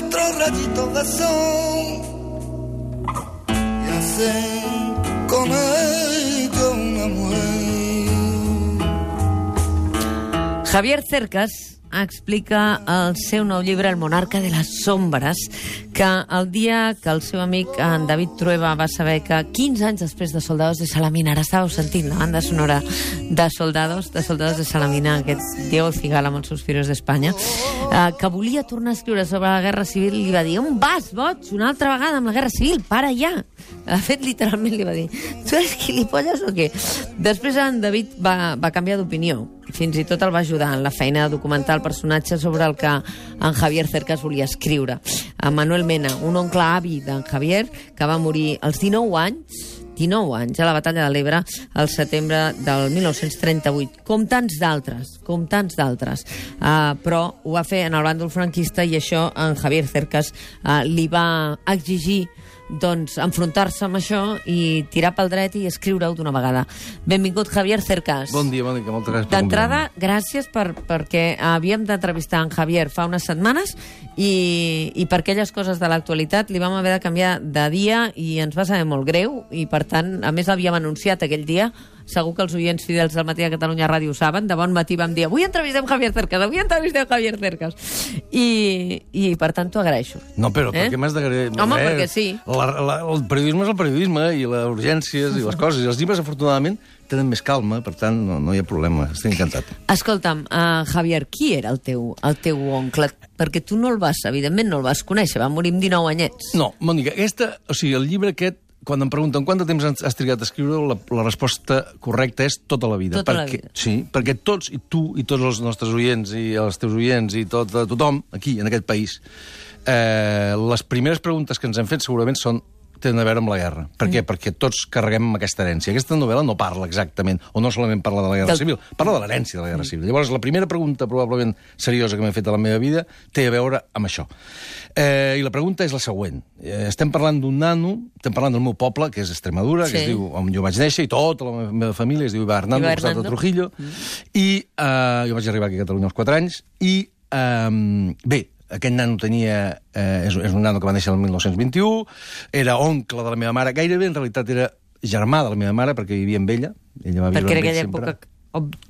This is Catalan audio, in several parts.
4 rayitos de sol y hacen con ellos una mujer. Javier Cercas explica el seu nou llibre El monarca de les sombres, que el dia que el seu amic en David Trueba va saber que 15 anys després de Soldados de Salamina, ara estàveu sentint la banda sonora de Soldados de Salamina, aquest Diego Cigala amb els Suspiros d'Espanya, que volia tornar a escriure sobre la Guerra Civil, li va dir: on vas, boig, una altra vegada amb la Guerra Civil, para ja. De fet, literalment li va dir: tu eres gilipolles o què? Després en David va canviar d'opinió, fins i tot el va ajudar en la feina de documentar el personatge sobre el que en Javier Cercas volia escriure. Manuel Mena, un oncle avi d'en Javier, que va morir als 19 anys a la Batalla de l'Ebre al setembre del 1938, com tants d'altres, però ho va fer en el bàndol franquista, i això en Javier Cercas li va exigir enfrontar-se amb això i tirar pel dret i escriure-ho d'una vegada. Benvingut, Javier Cercas. Bon dia, Mònica, moltes gràcies. D'entrada, gràcies perquè havíem d'entrevistar en Javier fa unes setmanes i per aquelles coses de l'actualitat li vam haver de canviar de dia i ens va saber molt greu, i per tant, a més l'havíem anunciat aquell dia. Segur que els oients fidels del Matí a Catalunya Ràdio ho saben. De bon matí vam dir: avui entrevistem Javier Cercas, i per tant t'ho agraeixo. No, però per què m'has d'agrair? Home, perquè sí. El periodisme és el periodisme, i les urgències i les coses, i els llibres, afortunadament, tenen més calma, per tant, no hi ha problema. Estic encantat. Escolta'm, Javier, qui era el teu oncle? Perquè tu no el vas, evidentment, no el vas conèixer, va morir amb 19 anyets. No, Mònica, el llibre aquest, quan em pregunten quant de temps has trigat a escriure, la resposta correcta és tota la vida. Tota la vida. Sí, perquè tots, i tu, i tots els nostres oients, i els teus oients, i tothom, aquí, en aquest país, les primeres preguntes que ens hem fet segurament tenen a veure amb la guerra. Per què? Perquè tots carreguem amb aquesta herència. Aquesta novel·la no parla exactament, o no solament parla de la Guerra Civil, parla de l'herència de la Guerra Civil. Llavors, la primera pregunta, probablement seriosa, que m'he fet a la meva vida, té a veure amb això. I la pregunta és la següent. Estem parlant d'un nano, estem parlant del meu poble, que és Extremadura, que es diu, on jo vaig néixer, i tota la meva família es diu Iba Hernando, al costat de Trujillo, i jo vaig arribar aquí a Catalunya als 4 anys, i bé, aquest nano és un nano que va néixer el 1921, era oncle de la meva mare, gairebé en realitat era germà de la meva mare, perquè vivia amb ella. Ella va viure perquè era amb ell aquella sempre. època...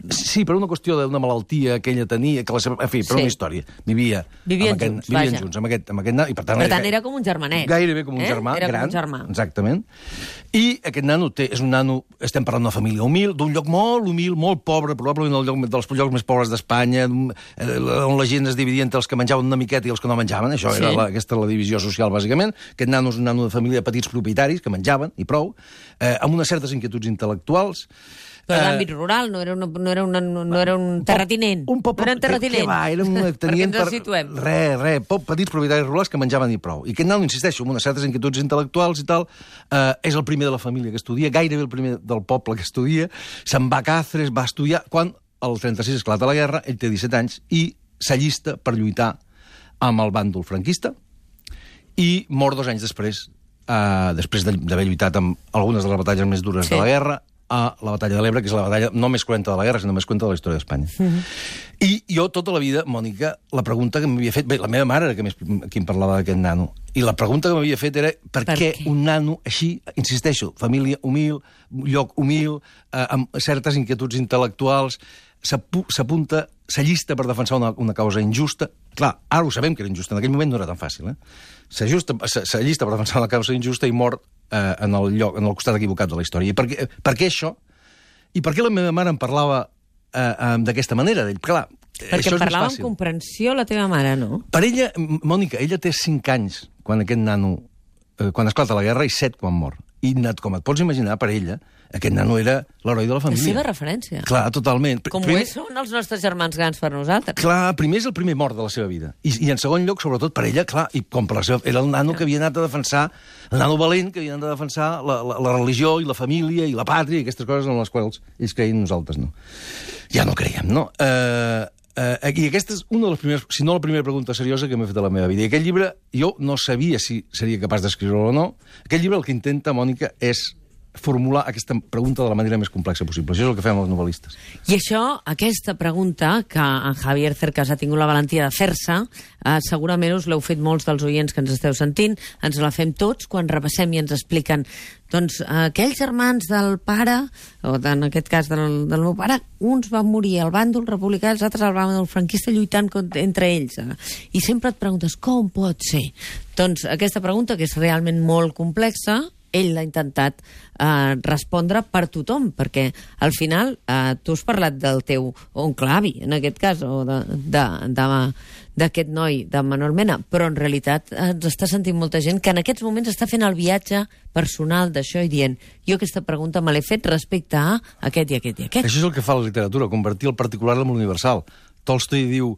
Sí, per una qüestió d'una malaltia que ella tenia, en fi, per una història. Vivien junts amb aquest nano. I per tant, era com un germanet. Gairebé com un germà, gran. Exactament. I aquest nano és un nano, estem parlant d'una família humil, d'un lloc molt humil, molt pobre, probablement el lloc dels llocs més pobres d'Espanya, on la gent es dividia entre els que menjaven una miqueta i els que no menjaven. Això era aquesta la divisió social, bàsicament. Aquest nano és un nano de família de petits propietaris que menjaven, i prou, amb unes certes inquietuds intel·lectuals. Però d'àmbit rural, no era un terratinent. Un poble... No era un terratinent. Què va? Perquè ens el situem. Petits propietaris rurals que menjaven i prou. I aquest nano, insisteixo, amb unes certes inquietuds intel·lectuals i tal, és el primer de la família que estudia, gairebé el primer del poble que estudia, se'n va a Cáceres, va estudiar... Quan el 36 esclata la guerra, ell té 17 anys, i s'allista per lluitar amb el bàndol franquista, i mor 2 anys després d'haver lluitat amb algunes de les batalles més dures de la guerra, a la Batalla de l'Ebre, que és la batalla no més cruenta de la guerra, sinó més cruenta de la història d'Espanya. I jo, tota la vida, Mònica, la pregunta que m'havia fet... Bé, la meva mare era qui em parlava d'aquest nano. I la pregunta que m'havia fet era per què un nano així, insisteixo, família humil, lloc humil, amb certes inquietuds intel·lectuals, s'apunta, s'allista per defensar una causa injusta. Clar, ara ho sabem que era injusta, en aquell moment no era tan fàcil, s'allista per defensar una causa injusta i mor en el costat equivocat de la història. I per què això? I per què la meva mare em parlava d'aquesta manera? Clar, perquè em parlava amb comprensió la teva mare, no? Per ella, Mònica, ella té 5 anys quan aquest nano, quan esclata la guerra, i 7 quan mor. I com et pots imaginar, per ella, aquest nano era l'heroi de la família. La seva referència. Clar, totalment. Com són els nostres germans grans per nosaltres. Clar, primer és el primer mort de la seva vida. I en segon lloc, sobretot per ella, clar, i com per la seva... Era el nano que havia anat a defensar, el nano valent que havia anat a defensar la religió i la família i la pàtria i aquestes coses en les quals ells creien, nosaltres no. Ja no creiem, no? I aquesta és una de les primeres, si no la primera pregunta seriosa que m'he fet a la meva vida. I aquest llibre, jo no sabia si seria capaç d'escriure-lo o no. Aquest llibre el que intenta, Mònica, és formular aquesta pregunta de la manera més complexa possible. Això és el que fem els novel·listes. I això, aquesta pregunta, que en Javier Cercas ha tingut la valentia de fer-se, segurament us l'heu fet molts dels oients que ens esteu sentint, ens la fem tots quan repassem i ens expliquen doncs aquells germans del pare, o en aquest cas del meu pare, uns van morir al bàndol republicà, els altres al bàndol franquista lluitant entre ells. I sempre et preguntes, com pot ser? Doncs aquesta pregunta, que és realment molt complexa, ell l'ha intentat respondre per tothom, perquè al final tu has parlat del teu oncle avi, en aquest cas, o d'aquest noi, de Manuel Mena, però en realitat ens està sentint molta gent que en aquests moments està fent el viatge personal d'això i dient, jo aquesta pregunta me l'he fet respecte a aquest i aquest i aquest. Això és el que fa la literatura, convertir el particular en l'universal. Tolstoi diu,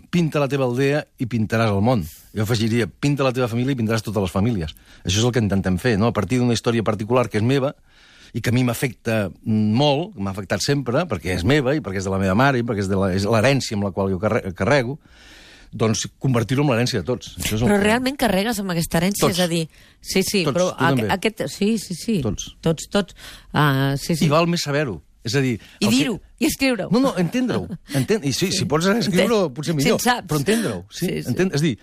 pinta la teva aldea i pintaràs el món. Jo afegiria, pinta la teva família i pintaràs totes les famílies. Això és el que intentem fer, no? A partir d'una història particular que és meva i que a mi m'afecta molt, m'ha afectat sempre, perquè és meva i perquè és de la meva mare i perquè és l'herència amb la qual jo carrego, doncs convertir-ho en l'herència de tots. Això és però realment carregues amb aquesta herència? Tots. És a dir, sí, Tots, però tu també. Sí. Tots. Sí. I val més saber-ho. És a dir... I dir-ho, i escriure-ho. No, entendre-ho. I sí, si pots escriure-ho, potser millor. Si en saps. Però entendre-ho. Sí. És a dir,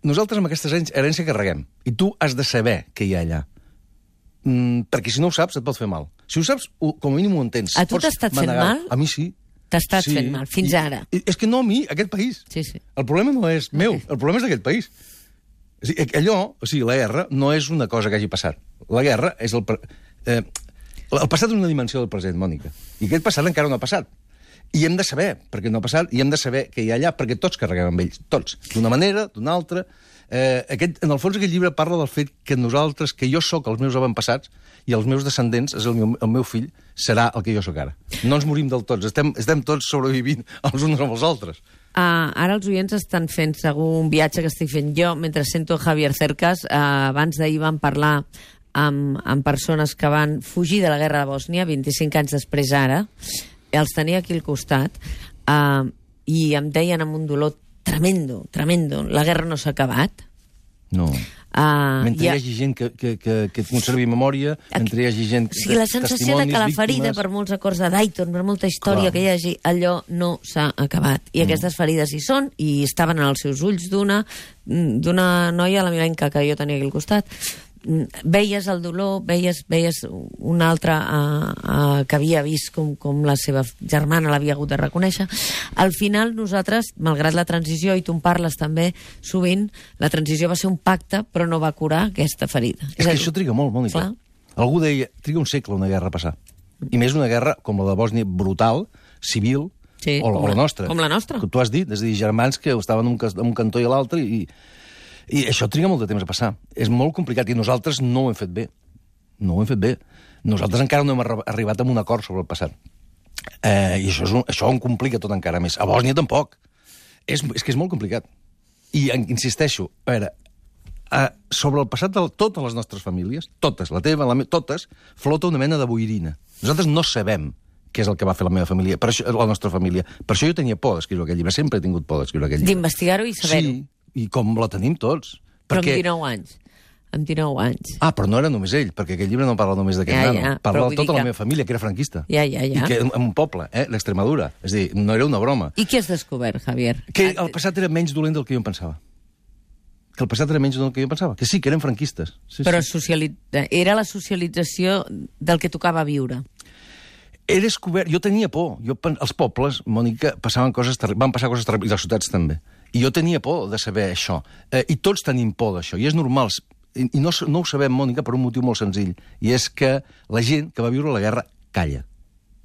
nosaltres amb aquesta herència carreguem. I tu has de saber què hi ha allà. Perquè si no ho saps, et pot fer mal. Si ho saps, com a mínim ho entens. A tu t'ha estat fent mal? A mi sí. T'ha estat fent mal, fins ara. És que no a mi, a aquest país. Sí. El problema no és meu, el problema és d'aquest país. La guerra no és una cosa que hagi passat. La guerra és el passat és una dimensió del present, Mònica. I aquest passat encara no ha passat. I hem de saber perquè no ha passat, i hem de saber què hi ha allà, perquè tots carreguem amb ells, tots. D'una manera, d'una altra. En el fons, aquest llibre parla del fet que nosaltres, que jo sóc els meus avantpassats, i els meus descendents, el meu fill, serà el que jo sóc ara. No ens morim del tots, estem tots sobrevivint els uns amb els altres. Ara els oients estan fent segur un viatge que estic fent jo, mentre sento Javier Cercas. Abans d'ahir vam parlar amb persones que van fugir de la guerra de Bòsnia, 25 anys després ara, els tenia aquí al costat, i em deien amb un dolor tremendo, la guerra no s'ha acabat. No. Mentre hi hagi gent que conservi memòria, mentre hi hagi gent... O sigui, la sensació de que la ferida, per molts acords de Dayton, per molta història que hi hagi, allò no s'ha acabat. I aquestes ferides hi són, i estaven en els seus ulls d'una noia, la milenca, que jo tenia aquí al costat. Veies el dolor, veies una altra que havia vist com la seva germana l'havia hagut de reconèixer. Al final, nosaltres, malgrat la transició, i tu en parles també sovint, la transició va ser un pacte, però no va curar aquesta ferida. És que això triga molt, Mònica. Clar. Algú deia, triga un segle una guerra a passar. I més una guerra com la de Bòsnia, brutal, civil, sí, o la nostra. Com la nostra. Que tu has dit, és a dir, germans que estaven en un cantó i a l'altre, i això triga molt de temps a passar. És molt complicat, i nosaltres no ho hem fet bé. Nosaltres encara no hem arribat a un acord sobre el passat. I això ho complica tot encara més. A Bòsnia tampoc. És que és molt complicat. I insisteixo, a veure, sobre el passat de totes les nostres famílies, totes, la teva, totes, flota una mena de boirina. Nosaltres no sabem què és el que va fer la meva família, la nostra família. Per això jo tenia por d'escriure aquell llibre. Sempre he tingut por d'escriure aquell llibre. D'investigar-ho i saber-ho. Sí, i com la tenim tots. Però amb 19 anys. Amb 19 anys. Però no era només ell, perquè aquell llibre no parla només d'aquest nano. Parla de tota la meva família, que era franquista. Ja. I que en un poble, l'Extremadura. És a dir, no era una broma. I què has descobert, Javier? Que el passat era menys dolent del que jo em pensava. Que sí, que eren franquistes. Sí, però era la socialització del que tocava viure. He descobert... Jo tenia por. Els pobles, Mònica, van passar coses terribles, i les ciutats també. I jo tenia por de saber això. I tots tenim por d'això, i és normal. I no ho sabem, Mònica, per un motiu molt senzill. I és que la gent que va viure la guerra calla.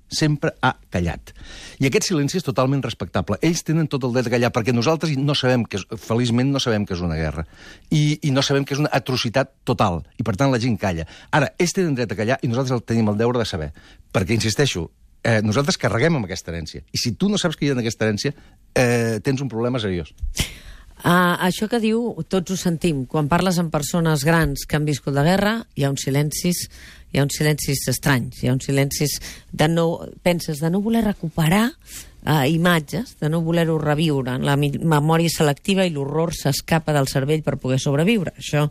Sempre ha callat. I aquest silenci és totalment respectable. Ells tenen tot el dret a callar, perquè nosaltres no sabem feliçment no sabem que és una guerra. I no sabem que és una atrocitat total. I, per tant, la gent calla. Ara, ells tenen dret a callar i nosaltres tenim el deure de saber. Perquè, insisteixo, nosaltres carreguem amb aquesta herència. I si tu no saps que hi ha en aquesta herència, tens un problema seriós. Això que diu, tots ho sentim. Quan parles amb persones grans que han viscut la guerra, hi ha uns silencis estranys, hi ha uns silencis penses de no voler recuperar imatges, de no voler-ho reviure. La memòria selectiva i l'horror s'escapa del cervell per poder sobreviure. Això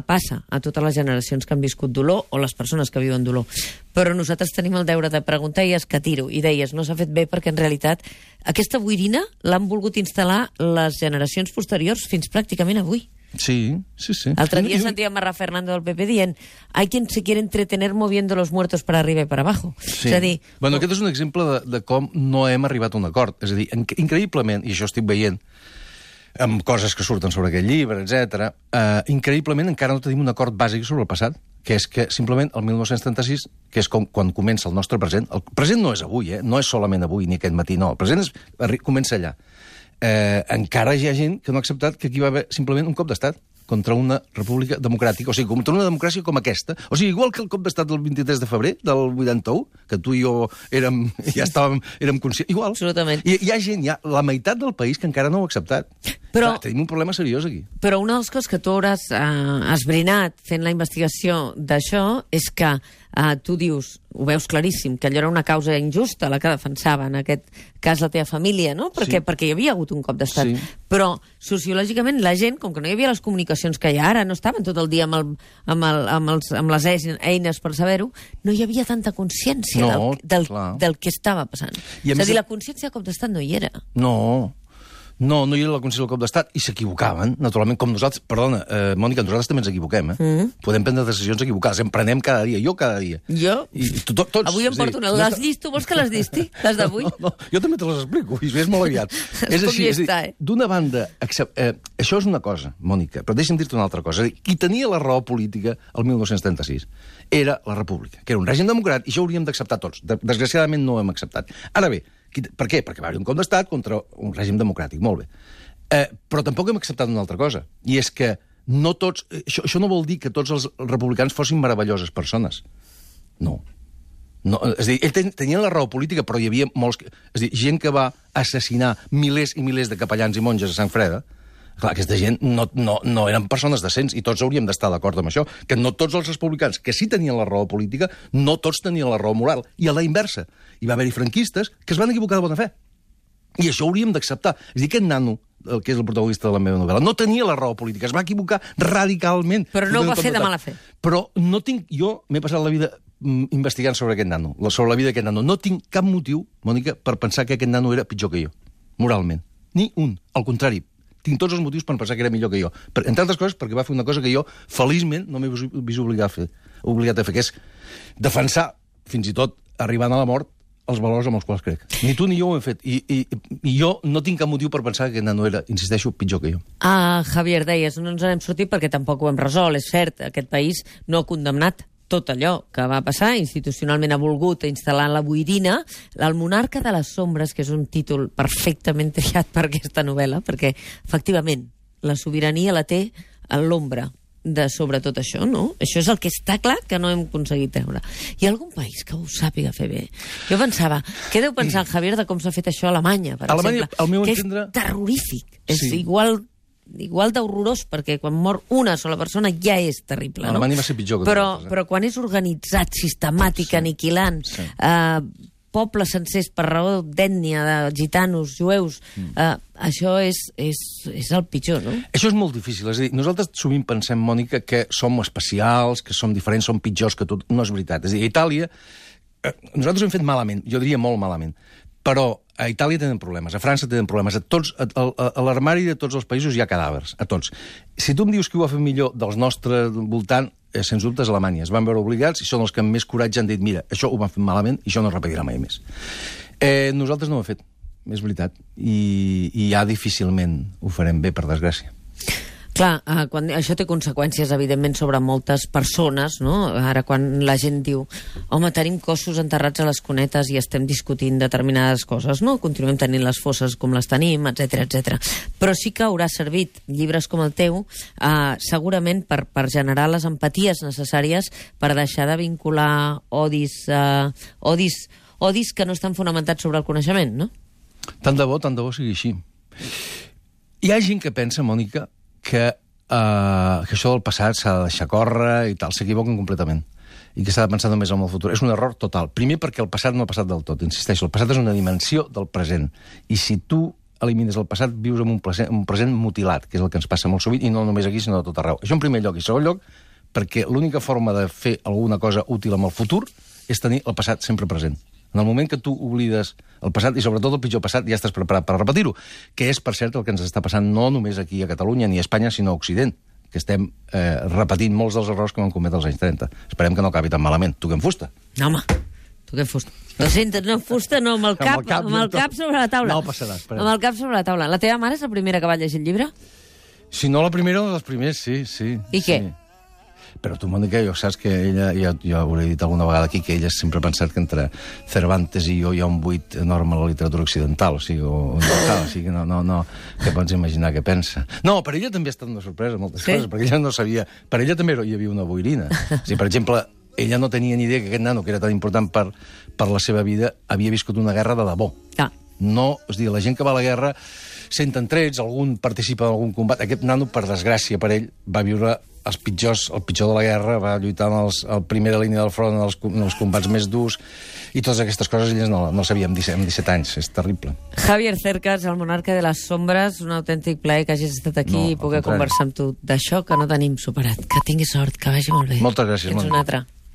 passa a totes les generacions que han viscut dolor o les persones que viuen dolor. Però nosaltres tenim el deure de preguntar i escatir-ho. I deies, no s'ha fet bé perquè en realitat aquesta boirina l'han volgut instal·lar les generacions posteriors fins pràcticament avui. Sí. L'altre dia sentíem a Rafa Fernando del PP dient hay quien se quiere entretener moviendo los muertos para arriba y para abajo. Sí. És a dir... Bueno, aquest és un exemple de com no hem arribat a un acord. És a dir, increïblement, i això estic veient amb coses que surten sobre aquest llibre, etc. Increïblement encara no tenim un acord bàsic sobre el passat, que és que simplement el 1936, que és quan comença el nostre present, el present no és avui, no és solament avui ni aquest matí, no, el present comença allà. Encara hi ha gent que no ha acceptat que aquí va haver simplement un cop d'estat contra una república democràtica, o sigui, contra una democràcia com aquesta. O sigui, igual que el cop d'estat del 23 de febrer del 81, que tu i jo érem conscients, igual. Absolutament. I hi ha gent, la meitat del país que encara no ho ha acceptat. Però, clar, tenim un problema seriós aquí. Però una de les coses que tu hauràs esbrinat fent la investigació d'això és que tu dius, ho veus claríssim, que allò era una causa injusta la que defensava, en aquest cas la teva família, no? Perquè hi havia hagut un cop d'estat. Sí. Però sociològicament la gent, com que no hi havia les comunicacions que hi ha ara, no estaven tot el dia amb les eines per saber-ho, no hi havia tanta consciència del que estava passant. És a dir, la consciència del cop d'estat no hi era. No hi era la consciència del cop d'estat i s'equivocaven, naturalment, com nosaltres. Perdona, Mònica, nosaltres també ens equivoquem, Podem prendre decisions equivocades, en prenem cada dia, jo cada dia. Jo? Tots. Avui em porto una. Les llisto, vols que les llisti? Les d'avui? No, jo també te les explico, i és molt aviat. És així, d'una banda, això és una cosa, Mònica, però deixa'm dir-te una altra cosa. Qui tenia la raó política el 1936 era la República, que era un règim democràtic, i això hauríem d'acceptar tots. Desgraciadament no ho hem acceptat. Ara bé, per què? Perquè va haver un cop d'estat contra un règim democràtic, molt bé. Però tampoc hem acceptat una altra cosa, i és que no tots... Això no vol dir que tots els republicans fossin meravelloses persones. No. És a dir, ells tenien la raó política, però hi havia molts... És a dir, gent que va assassinar milers i milers de capellans i monges a Sant Freda. Clar, aquesta gent no eren persones decents, i tots hauríem d'estar d'acord amb això, que no tots els republicans que sí tenien la raó política, no tots tenien la raó moral, i a la inversa. Hi va haver-hi franquistes que es van equivocar de bona fe. I això hauríem d'acceptar. És a dir, aquest nano, que és el protagonista de la meva novel·la, no tenia la raó política, es va equivocar radicalment. Però no ho va fer de mala fe. Però no tinc... Jo m'he passat la vida investigant sobre aquest nano, sobre la vida d'aquest nano. No tinc cap motiu, Mònica, per pensar que aquest nano era pitjor que jo, moralment. Ni un. Al contrari, tinc tots els motius per pensar que era millor que jo. Entre altres coses, perquè va fer una cosa que jo, feliçment, no m'he vist obligat a fer, que és defensar, fins i tot arribant a la mort, els valors amb els quals crec. Ni tu ni jo ho hem fet. I jo no tinc cap motiu per pensar que aquest nano era, insisteixo, pitjor que jo. Javier, deies, no ens n'hem sortit perquè tampoc ho hem resolt. És cert, aquest país no ha condemnat tot allò que va passar, institucionalment ha volgut instal·lar la boirina. El monarca de les sombres, que és un títol perfectament triat per aquesta novel·la, perquè, efectivament, la sobirania la té a l'ombra de sobre tot això, no? Això és el que està clar que no hem aconseguit treure. Hi ha algun país que ho sàpiga fer bé? Jo pensava, què deu pensar en Javier de com s'ha fet això a Alemanya, per exemple? Que és terrorífic. És igual d'horrorós, perquè quan mor una sola persona ja és terrible, no? Alemanya va ser pitjor que però quan és organitzat, sistemàtic, aniquilant, pobles sencers per raó d'ètnia, de gitanos, jueus, això és el pitjor, no? Això és molt difícil. És a dir, nosaltres sovint pensem, Mònica, que som especials, que som diferents, som pitjors que tot. No és veritat. És a dir, a Itàlia, nosaltres ho hem fet malament, jo diria molt malament, però a Itàlia tenen problemes, a França tenen problemes, a l'armari de tots els països hi ha cadàvers, a tots. Si tu em dius qui ho ha fet millor dels nostres voltant, sens dubte és Alemanya. Es van veure obligats i són els que amb més coratge han dit mira, això ho van fer malament i això no es repetirà mai més. Nosaltres no ho hem fet, és veritat, i ja difícilment ho farem bé, per desgràcia. Clar, això té conseqüències, evidentment, sobre moltes persones, no? Ara, quan la gent diu home, tenim cossos enterrats a les cunetes i estem discutint determinades coses, no? Continuem tenint les fosses com les tenim, etc. Però sí que haurà servit llibres com el teu, segurament per generar les empaties necessàries per deixar de vincular odis que no estan fonamentats sobre el coneixement, no? Tant de bo sigui així. Hi ha gent que pensa, Mònica, que això del passat s'ha de deixar córrer i tal, s'equivoquen completament. i que s'ha de pensar només en el futur. És un error total. Primer perquè el passat no ha passat del tot, insisteixo. El passat és una dimensió del present. I si tu elimines el passat, vius en un present mutilat, que és el que ens passa molt sovint, i no només aquí, sinó a tot arreu. Això en primer lloc. I en segon lloc, perquè l'única forma de fer alguna cosa útil amb el futur és tenir el passat sempre present. En el moment que tu oblides el passat, i sobretot el pitjor passat, ja estàs preparat per repetir-ho, que és, per cert, el que ens està passant no només aquí a Catalunya ni a Espanya, sinó a Occident, que estem repetint molts dels errors que vam cometre als anys 30. Esperem que no acabi tan malament. Toquem fusta. No, home, toquem fusta. No sentes, no, fusta, no, amb el cap sobre la taula. No passarà, esperem. Amb el cap sobre la taula. La teva mare és la primera que va llegir el llibre? Si no la primera, dels primers, sí. I què? Però tu, Mònica, jo saps que ella, jo ho he dit alguna vegada aquí, que ella sempre ha pensat que entre Cervantes i jo hi ha un buit enorme a la literatura occidental, o sigui, no, que pots imaginar què pensa. No, per ella també ha estat una sorpresa, moltes coses, perquè ella no sabia... Per ella també hi havia una boirina. O sigui, per exemple, ella no tenia ni idea que aquest nano, que era tan important per la seva vida, havia viscut una guerra de debò. No, és a dir, la gent que va a la guerra senten trets, algun participa en algun combat. Aquest nano, per desgràcia per ell, va viure el pitjor de la guerra, va lluitar en primera línia del front, en els combats més durs, i totes aquestes coses elles no sabíem amb 17 anys. És terrible. Javier Cercas, el monarca de les sombres, un autèntic plaer que hagis estat aquí i poder conversar amb tu d'això que no tenim superat. Que tinguis sort, que vagi molt bé. Moltes gràcies, Fins una altra.